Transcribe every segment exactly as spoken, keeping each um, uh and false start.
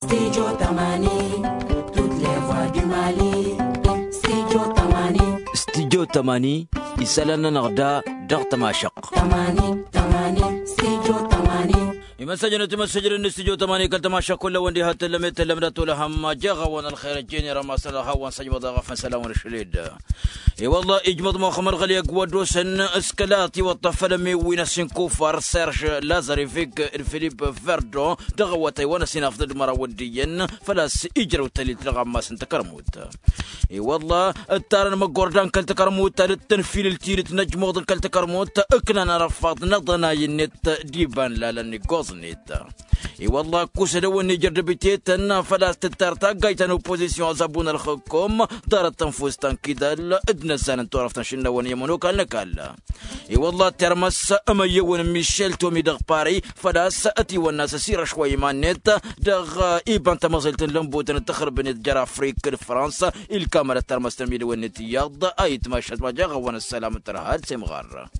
Studio tămani. Toutes les voix du mali. Studio tămani. Studio tămani. Isălan-nănăɣ da dăɣ-tămašăq. Tămani tămani. Studio tămani. Imăssăjăn timăssăjrăn n-studio tămani kăl-tămašăq kull-awăn diha tăllăm i-tăllăm dat-olăhăm. Jeɣ-awăn ălxer ăjjeen i-rămasăn ălxawăn săjmăḍ aɣăfăn sălam-wăn ašăl-ed. I-wălla ijmăḍ muxămmăd ɣăli ăgg-wa dd-osăn s-kăla ătiwăṭṭăf făll-ămmiwwi-năs inkufar serž lazarevik d-filip verdon dăɣ-awătay wa n-ăsinafḍăd măraw ăddiyyăn. Făl-a-s ijrăw tălilt dăɣ-ammas n-takărmut. I-wălla ǝttarăn măggordan kăl-takărmut ta dd-tănfilǝl tidǝt n-ăjmuḍ n-kăl-takărmut. Ǝknan arăffaḍ n-aḍănay-net d-iba n-lalăn iggoẓ-net. I-wălla ăkkusăd a-wen-ijăr dăbitetăn făl-a-s tǝttar taggayt ta n-oppozisyon ăẓabun ălxǝkkum. Ḍarăt tănfust ta n-kidal d-inăzzan n-turăft n-ašǝnnawăn i-ămănokal n-ăkall. I-wălla ăttermăs amăyyăwăn n-mišel tomi dăɣ-pari făl-a-s ătiwănna s-asirăš wa iman-net dăɣ-iba n-tamăẓelt n-lănbutăn d-taxrǝbnet jer-afrik d-fransa. Ilkamăl ăttermăs tămidăwen-net iyyăḍ a itmašăt ma jeɣ-awăn ăssălam n-tărha ad-semɣar.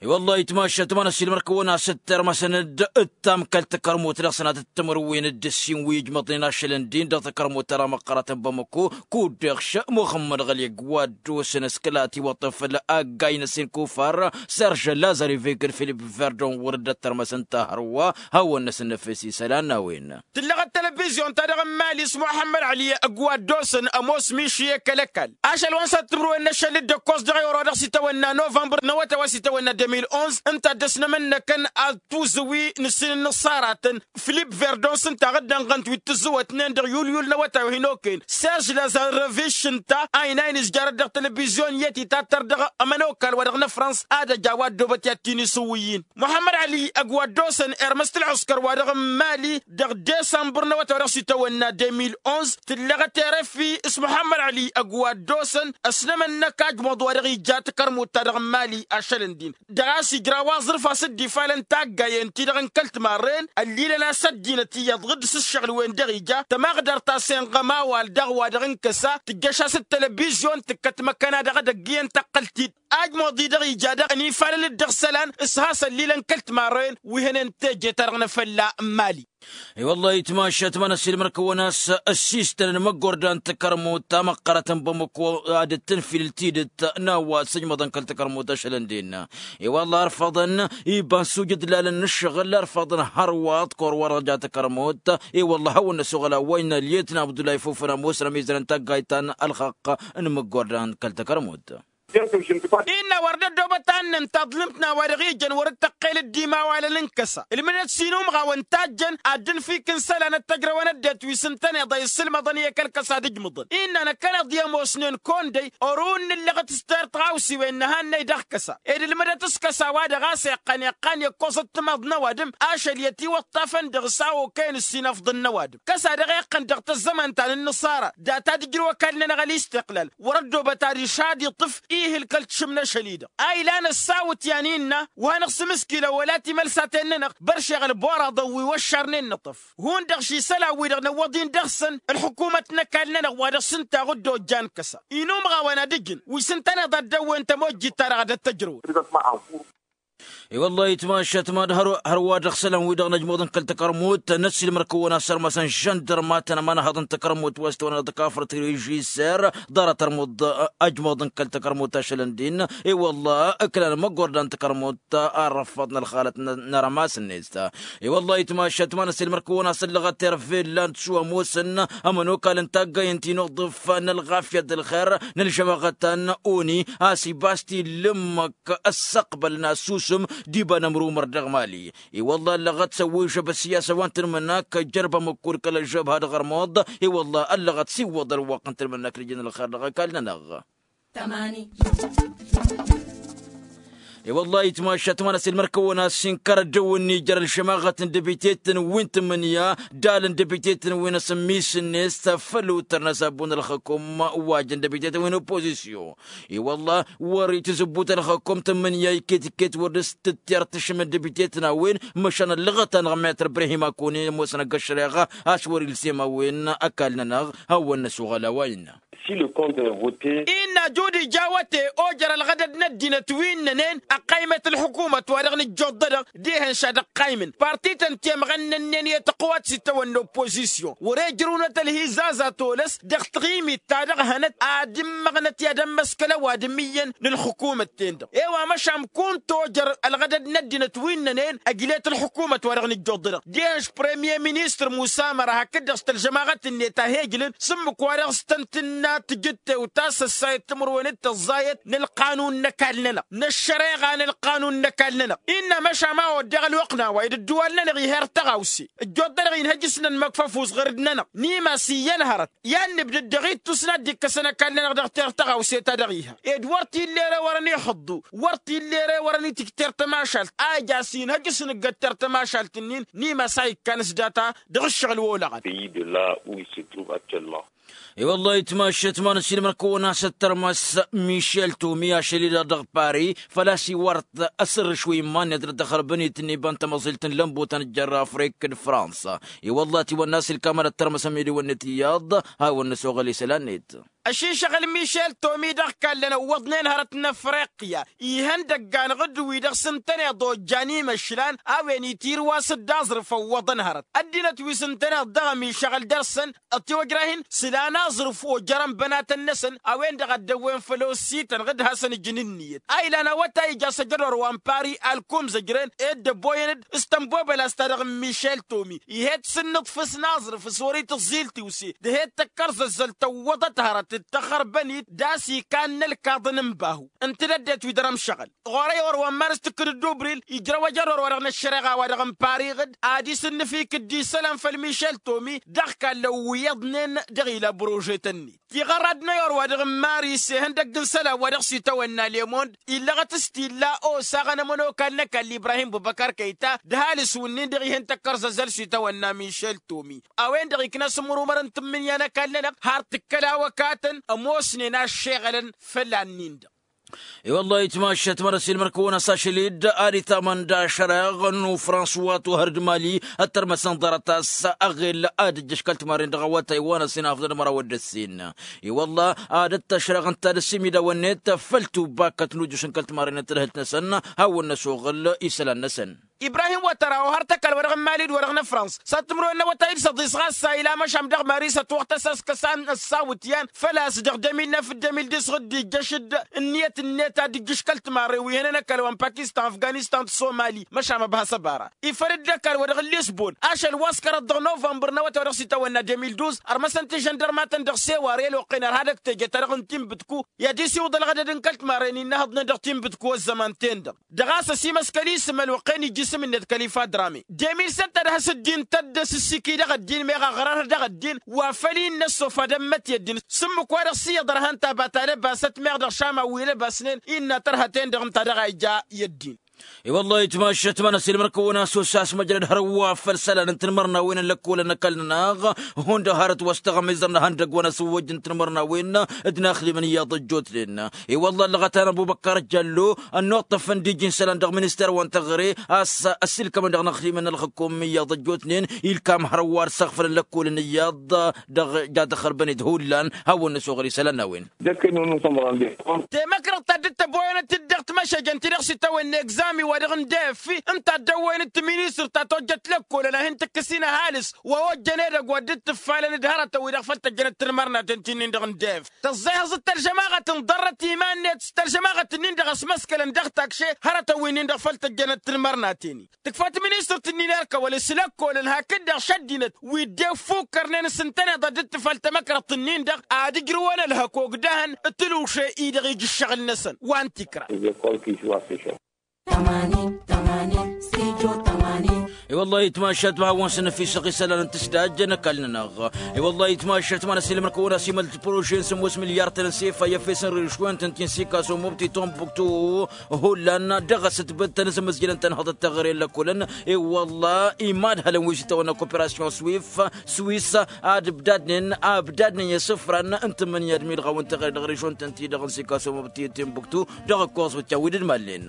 I-wălla itmašăt ma n-ăssiilmăr-kăwăn a-s ǝttermăsăn-dd ǝttam kăl-takărmut dăɣ-sănatăt timǝrwen d-ǝssin wi ijmăḍnen ašăl n-din dăɣ-takărmut-ta-dăɣ măqqărătăn bamăko. Kud-dăɣ muxămmăd ɣăli ăgg-wa dd-osăn s-kăla ătiwăṭṭăf făll-aggay-năssin kufar serž lazar ivegăd filip verdon wăr dd-ăttărmăsăn ta hărwa. Hawăn-năsăn năfes isălan n-a-wen. Tǝllăɣăt telebizyon-ta-dăɣ n-mali s-muḥămmăd ăli ăgg-wa dd-osăn ămoos miši i-kăl-ăkall ašăl wa n-săt timǝrwen n-ašăl d-ǝkkoẓ dăɣ-i-oro-dăɣ s-itawănna novămbăr n-awătay wa s-itawănna de mil onze ǝnta a dd-ăsnămănnăkăn ad-tuzǝwi n-ǝssin n-inǝṣṣaratăn. Filip verdon s-ǝnta a dd-ănɣănt wi t-tǝzzǝwătnen dăɣ-yulyul n-awătay wa hin-okăyăn serž lazarevich ǝnta a inayăn izjarăt dăɣ-telebizyon i-ătitattăr dăɣ-ămănokal wa dăɣ-năfrăns ad-ăj a-wa ăddoobăt i-ad-t-in-isǝwwǝyyin. Muḥămmăd ăli ăgg-wa dd-osăn irmăs tǝlɣǝskăr wa dăɣ-n mali dăɣ-desămbăr n-awătay wa dăɣ-s itawănna de mil onze tǝllăɣăt erăfi s-muḥămmăd ăli ăgg-wa dd-osăn ăsnămănnăk ajmuḍ wa dăɣ-ija takărmut-ta-dăɣ n-mali ašăl n-din dăɣ-a-s ijraw aẓrǝf a-s dd-ifalăn taggayen-ti-dăɣ n-kăl-timarren ăllilăn a-s ăddinăt iyyăḍ ɣǝdd s-ǝššăɣǝl-wen-dăɣ ija tămaɣdărt a-s enɣăm a-wa dăɣ-wa-dăɣ n-kăsa tǝjjăš-as d-telebizyon tǝkkăt măkkăn-a-dăɣ ad-ăgg iyyăn taqqălt-t-dd. Ajmuḍ-i-dăɣ ija daɣ ănifalăl-dd dăɣ-isălan s-has-ăllilăn kăl-timarren wi hănen teje-ta-dăɣ n-efălla n-mali. I-wăllah itmašat ma n-ăssiilmăr-kăwăn a-s ăssiistănăn măggordan takărmut ta măqqărătăn bamăko ad-dd-tǝnfilǝl tidǝt n-a-wa sǝjmăḍăn kăl-takărmut ašăl n-din. I-wăllah ărfăḍăn iba n-sujǝd lalăn n-ǝššăɣǝl ărfăḍăn hărwaḍ kăwăr-wa-dăɣ ja takărmut. I-wăllah a hawăn-năsoɣăl a-wa innă lyetna abdullahi fufăn ămoosăn ămizărăn taggayt ta n-ălxaqq n-măggordan kăl-takărmut. Innă wăr dd-ăddoobăt a ǝnnăn taḍlǝmt n-a-wa dăɣ-ijăn wăr dd-tăqqel dd-imawalăn n-kăsa ǝlmǝdăt s-inumɣawăn tajjăn ad-dd-nǝfikǝn isălan ăttăjrăwăn ăddinăt wi s-ǝntăneḍ a isǝlmăḍăn i-kăl-kăsa d-ǝjmǝḍăn. Innă năkkăneḍ i-ămoosnen kăwăn-dăy ărun n-ǝllăɣăt s-terr tiɣawsiwen n-ehannăy dăɣ-kăsa ed ǝlmǝdăt s-kăsa wa dăɣ-a-s iqqan iqqan i-ǝkkoẓăt timaḍ n-ăwadǝm ašăl i-ătiwăṭṭafăn dăɣ-s a okăyăn ǝssinăfḍăn n-ăwadǝm. Kăsa-dăɣ iqqăn dăɣ-tăzzăman ta n-inǝṣara data ad-ǝjrǝw ăkall-nănăɣ ălistiqlal wăr-ăddoobăt adiš ad-iṭṭǝf. Ihǝl kăl-tišǝm n-ašăl-i-dăɣ a ilan ăssawǝt i-ad-innă wa hanăɣ-sǝmǝskilăn wăla timălsaten-nănăɣ băršeɣ ălboraḍăn wi wăššarnen nǝṭṭăf. Hundăɣ ši isălan-wi-dăɣ năwwăḍ-in dăɣ-săn ălḥukumăt n-ăkall-nănăɣ wa dăɣ-s ǝnta a ɣǝdda ojja n-kăsa inumɣawăn ad-ǝjǝn wi s-ǝntăneḍ ad-dăwwen tămojjit-ta-dăɣ ad-ăttăjrăwăn. I-wăllah itmašat mad hărwa dăɣ-isălan-wi-dăɣ n-ăjmuḍ n-kăl-takărmut n-ăssiilmăr-kăwăn a-s ărmăsăn žăndărmatăn ămanhăḍ n-takărmut wa s-tăwănăɣ d-kafrăt rižiser. Ḍarăt ărmuḍ ăjmuḍ n-kăl-takărmut ašăl n-din. I-wăllah ǝklan măggordan takărmut arrăffăḍ n-ălxalăt n-arămas-net. I-wăllah itmašat ma n-ăssiilmăr-kăwăn a-s ăllăɣăt tervel lan d-su ămoosăn ămănokal n-taggay n-tinuḍǝf n-ălɣafyăt d-ălxer n-ălžămaɣăt ta n-oni a-s ibas-t-illǝmmăk ăssăqbăl n-asusǝm d-iba n-ămrumăr dăɣ-mali. I-wăllah ăllăɣăt s-ăwwǝžăb ăssiyasă wa n-tǝnmǝnak jărbăm ǝkkud kăl-ăžžăbha dăɣ-ărmuḍ. I-wăllah ăllăɣăt s-iwwăḍ ălwăqq n-tǝnmǝnak d-ijăn ălxer dăɣ-ăkall-nănăɣ. I-wăllah itmašat ma n-ăssiilmăr-kăwăn a-s inkăr ăddăwǝnni jer-ălšămaɣăt n-dăbitetăn wi n-tǝmmǝnǝya d-alăn dăbitetăn wi n-asǝmmis-net făll-utăr n-asabbun ălxăkum wa jăn dăbitetăn wi n-oppozisyon. I-wăllah wăr-i tǝzǝbbut ălxăkum tǝmmǝnǝya iket-iket wăr dăr-s tǝtter tǝšǝm n-dăbitetăn a-wen. Măšan ăllăɣăt-anăɣ metăr ibrahim akoni ămoosăn ăgg-ăššăreɣa a-s wăr-ilsem a-wen. Ăkall-nănăɣ hawăn-năsoɣăl a-wa innă. Si le compte est voté. Innă jud ija awăte ojăr ălɣădăd n-ăddinăt wi ǝnnănen ăqqaymăt ălḥukumăt wa dăɣ-nǝjjuḍ-dădăɣ dihen šad ăqqaymăn partităn temɣănnănnen i-tăqwat s-itawănna oppozisyon wăr-e ǝjrǝwnăt ălhizaza tolăs dăɣ-taɣimit ta dăɣ-hănăt ad-ǝmmăɣnăt i-ad-ămmăskăl ăwadǝm iyyăn n-ălxukumăt-ten-dăɣ. I-wa măšan kunta ojăr ălɣădăd n-ăddinăt wi ǝnnănen ăjlet ălxukumăt wa dăɣ-nǝjjuḍ-dădăɣ dihen š-premiyer ministăr musa măra hakd-dăɣ s-tălžămaɣăt-net a he-ǝjlǝn s-ǝmmǝk-wa-dăɣ s-tăn-tǝnna tǝjǝttewt a-s ăssayăt timǝrwen d-tăẓẓayăt n-ălqanun n-ăkall-nănăɣ n-ăššăreɣa n-ălqanun n-ăkall-nănăɣ. Innă măšan ma oddeɣ ălwăqq n-a-wa dd-ăddǝwal-nănăɣ ih'-e ăr-tăɣawse ăjjoḍ-dăɣ inhăj s-nănmăkfăf usɣǝrǝd-nănăɣ n-imas iyyăn hărăt i-ad-nǝbdǝd dăɣ-ittus n-ad-dd-ikkăsăn ăkall-nănăɣ dăɣ-t'-e ăr-tăɣawse ta dăɣ-iha ed wăr t-illa ere wărăn iḥǝḍḍu wăr t-illa ere wărăn itǝjter tămašalt a ija s-inhăj s-nǝggătter tămašalt-nin n-imas a ikkan s-data dăɣ-ǝššăɣǝl wa olăɣăn. Pays de là où il se trouve actuellement. I-wăllah itmašăt ma n-ăsilmăn kăwăn-asăt tărmăs mišel tomi ašăl-i-dăɣ dăɣ-pari făl-a-s iwărăt asǝrrǝš wi iman-net dăɣ-tăxărbănit n-iba n-tamăẓilt n-lănbutăn jar-afrik d-fransa. I-wăllah tiwănna a-s ilkamalăt tărmăs ămidǝwăn-net iyyăḍ hawăn-năsoɣăl isălan-net. Ăšinšăɣ ălmišel tomi dăɣ-kallăn ăwwăḍnen hărăt n-afriqya ihăndăgg-anăɣ d-wi-dăɣ s-ǝntăneḍ ojjan imăšlan a-wen itirwas d-aẓrǝf ăwwăḍăn hărăt ăddinăt wi s-ǝntăneḍ dăɣ-ămišăɣăl dăr-săn ătiwăjrah-in sǝlan aẓrǝf ojărăn bănatăn-năsăn a-wen-dăɣ a dd-ăwwen făll-osităn d-hasăn-ǝjǝn ǝnniyăt a ilan awătay ija s-ăjădor wa n-pari alkum zăjren ed ăboyăn-dd s-tănbobăla s-ta-dăɣ n-mišel tomi ih'-e d-sǝnnǝḍfǝs n-aẓrǝf s-wăr-itǝẓẓil tiwse d-he-dd tăkkărzăzzăl tăwwăḍăt hărăt d-tăxărbănit d-a-s ikanna ălkaḍăn n-bahu. Ǝnta d-ăddinăt wi dăr-ămšăɣăl ɣur-e i-wăr wa n-mars tǝkkǝd d-ubril ijrăw ăjădor wa dăɣ-năššăreɣa wa dăɣ-n pari ɣǝd ad-isǝnnǝf ikǝddi isălan făll-mišel tomi dăɣ-kallăn wi iyyăḍnen dăɣ-ila brožetăn-net. Tiɣărrad n-ayor wa dăɣ-n maris ihăndăgg n-isălan wa dăɣ-s itawănna lemond illăɣăt s-t-illa osaɣăn ămănokal n-ăkall ibrahim bubăkar kăyta d-ăhalǝs wǝnnin-dăɣ ih'-en tăkkărzăzzăl s-itawănna mišel tomi a-wen-dăɣ ikna s-ǝmrumăr n-tǝmmǝnǝya n-ăkall-nănăɣ har tǝkkăl awăkatăn ămoosnen a ăššeɣălăn făll-an-nin-dăɣ. I-wăllah itmašăt măr-ăsilmăr-kăwăn-as ašăl-dd ad-itamăn d-ašăreɣ n-ufrans wa tuhăr d-mali ăttărmăsăn ḍarăt-as aɣel ad-ǝjjăš kăl-timarren dăɣ-awătay wa n-ăsinafḍăn d-măraw d-ăssin. I-wăllah ad-ăttašăreɣ ǝnta d-ăsimidawăn-net făll-tubakkăt n-ujjuš n-kăl-timarren n-tadhǝlt-năsăn hawăn-năsoɣăl isălan-năsăn. Ibrahim wătăra ohăr tăkall wa dăɣ-n mali d-wa dăɣ-năfrans s-ad-tǝmrǝwen n-awătay d-săḍis ɣas a ila măšan dăɣ-mari s-ătwăɣtăs a-s kăsan ăssawǝtyan făl-a-s dăɣ-demil năf d-demil d-isɣǝd d-ijjăš-dd ǝnniyăt-net ad-dd-ijjǝš kăl-timarre wi hănen ăkall wa n-pakistan afganistan d-somali măšan măbhas ăbara. Ifăl-dd ăkall wa dăɣ-lisbon ašăl wa s-kărăḍ dăɣ-novămbăr n-awătay wa dăɣ-s itawănna demil duz ărmăsăn tijăndărmatăn dăɣ-sewar i-ăloqqen ărha dăɣ-teje ta dăɣ-n tinbǝtku i-ad-isiwǝḍ ălɣădăd n-kăl-timarre n-innă hăḍnen dăɣ-tinbǝtku ăzzăman-ten-dăɣ. Dăɣ-a-s ăsimăskăl isǝm ălwăqq-en ija isǝm-net kăl-ifa drame. Demil sănta d-has-ăddin tăddăs ǝssikǝy dăɣ-ăddin meɣ ăɣrăr dăɣ-ăddin wa făl-i n-năssof ad-ămmăt i-ăddin s-ǝmmǝk wa dăɣ-s iyyăḍ ărhăn tabat alăbasăt meɣ dăɣ-šama wi lăbasnen innă tărhăten-dăɣ ǝnta a dăɣ-a ija i-ăddin. I-wăllah itmašăt ma n-ăsilmăr-kăwăn-as osa s-măjrăd hărwa făll-isălan n-tinmărnawen n-lăkkolăn n-ăkall-nănăɣ hundăɣ hărăt wa s-tăɣmizăr n-ihăndăgg wa n-asǝwwăjj n-tinmărnawen d-inaxdimăn iyyăḍ ăjjootnen. I-wălla ăllăɣăt-anăɣ bubăkkar ăjjallo ănnuṭṭăfăn d-iji n-isălan dăɣ-minister wa n-teɣăre a-s ăssiilkămăn dăɣ-inaxdimăn n-ălxǝkum iyyăḍ ăjjootnen ilkam hărwa ad-săɣfălăn lăkkolăn iyyăḍ dăɣ-jadăxărbăn-dd hullan hawăn-năsoɣăl isălan n-a-wen. Temăkrăḍt ta dd-tăboyănăt-dd dăɣ-timăšejăn-ti-dăɣ s-itawănna egzami wa dăɣ-n d-f ǝnta a dd-ăwwăyăn d-tiministrăt ta tojjăt lăkkolăn ad-hin-tǝkkǝs-in ăhalǝs wa ojjăn edăgg wa dd-tǝffalăn d-hărătăn wi-dăɣ făl tăjjănăt tinmărnaten ti-nin dăɣ-n d-f tăẓẓehăẓ d-tălžămaɣăt n-ḍarrăt iman-net s-tălžămaɣăt-nin-dăɣ ăsmăskălăn dăɣ-takše hărătăn wi-nin-dăɣ făl tăjjănăt tinmărnaten-i. Tǝkfăt ministărt-nin i-ărkăwăl s-lăkkolăn hakd-dăɣ šăddinăt wi dd-ifukkărnen s-ǝntăneḍ ad-dd-tǝfăl tamăkrăḍt-nin-dăɣ ad-ǝjrǝwăn ălhăk ogdăhăn d-tǝlwǝše-i-dăɣ ija ǝššăɣǝl-năsăn. Wa n-tikra. I-wăllah itmašat ma hawăn-săn ăfisăɣ isălan n-tǝsdajjăn ăkall-nănăɣ. I-wăllah itmašat ma n-ăsilmăr-kăwăn-as imăl d-prožen sămoos milyar-tăn n-sefa i-efes n-rǝšwen-tăn ti n-sikaso mubti tombuktu. Hullan dăɣ-asǝtbǝd tăn-asǝmmǝzjǝlăn-tăn hăḍăt teɣăre n-lăkkolăn. I-wăllah imadhălăn wi s-itawănna koperasyon swif swis ad-ǝbdadnen a ǝbdadnen i-asǝfran n-tǝmmǝnǝya d-midɣaw n-teɣăre dăɣ-rǝšon-tăn-ti-dăɣ n-sikaso mubti tombuktu dăɣ-ǝkkoẓ wǝtyan wi dd-mallen.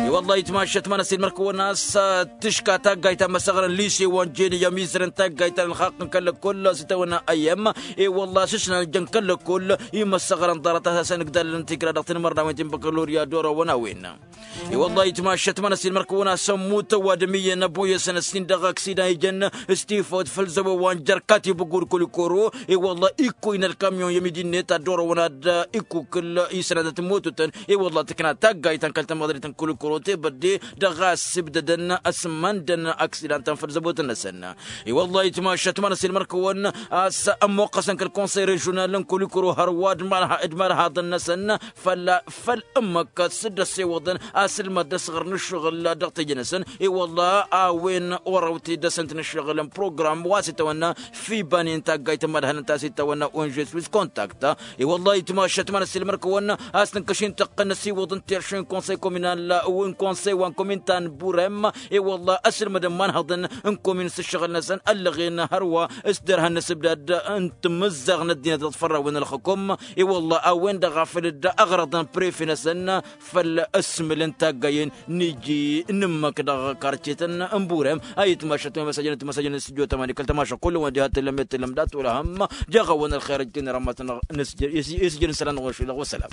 I-wălla itmašăt ma n-ăsilmăr-kăwăn a-s tǝška taggayt ta n-imăsăɣrăn lise wa n-jeni i-amizărăn taggayt ta n-ălxaqq n-kăl-lăkkull a-s itawănna ayyăm. I-wălla a-s ǝšnan jăn kăl-lăkkull imăsăɣrăn ḍarăt a-s asăn ǝgdalăn tigra dăɣ-tinmărnawen ti n-băkălorya dd-orăwăn a-wen. I-wălla itmašăt ma n-ăsilmăr-kăwăn a-s ămmut ăwadǝm iyyăn ăboyăsăn ǝssin dăɣ-aksidan ijăn s-tifawt făll-zăwwa wa n-jărkat ibǝggur kulikoro. I-wălla ikkuy n-ălkamyon i-ămidinnet ad-dd-orăwăn ad-ikkukǝl isănatăt n-mototăn. I-wălla tǝkna taggayt ta n-kăl-tamăḍrit n-kulikoro tebădde dăɣ-a ăssibdădăn ăsmăndăn aksidan ta n-făll-zăwwătăn-năsăn. I-wălla itmašăt ma n-ăsilmăr-kăwăn a-s ămmuqqăsăn kăl-konsăy režional n-kulikoro hărwa d-marhaḍăn-năsăn făll-ǝmmǝk s-dd-ăssewăḍăn asǝlmăd d-asɣăr n-ǝššăɣǝl dăɣ-teje-năsăn. I-wălla a-wen orăw-t-dd-ăsǝnt n-ǝššăɣǝl n-program wa s-itawănna fibanen taggayt n-imădhălăn ta s-itawănna onžes wis contact. I-wălla itmašăt ma n-ăsilmăr-kăwăn a-s tǝnkăš-in tăqqăn n-ăsiwăḍ n-terše n-konsăy kominal n-konsăy wa n-komin ta n-burem. I-wălla ăsǝlmădăn imanhăḍăn n-komin s-ǝššăɣǝl-năsăn ăllăɣen hărwa s-derhan n-asǝbdad n-timǝzzaɣ n-ăddinăt dăɣ-tfărrawen n-ălxukum. I-wălla a-wen-dăɣ a făl dd-ăɣrăḍăn prefe-năsăn făll-ăsmǝl n-taggayen n-iji n-ǝmmǝk dăɣ-karcetăn n-burem. A itmašăt ma imăsajăn timăsajăn n-studyo tămani kăl-tămašăɣ kull-wăn diha tǝllăm i-tǝllăm dat-wăla hăm. Jaɣ-awăn ălxer ăjjăn rămătnăɣ isǝjjăn isălan ɣur-šilăɣ wa sălam.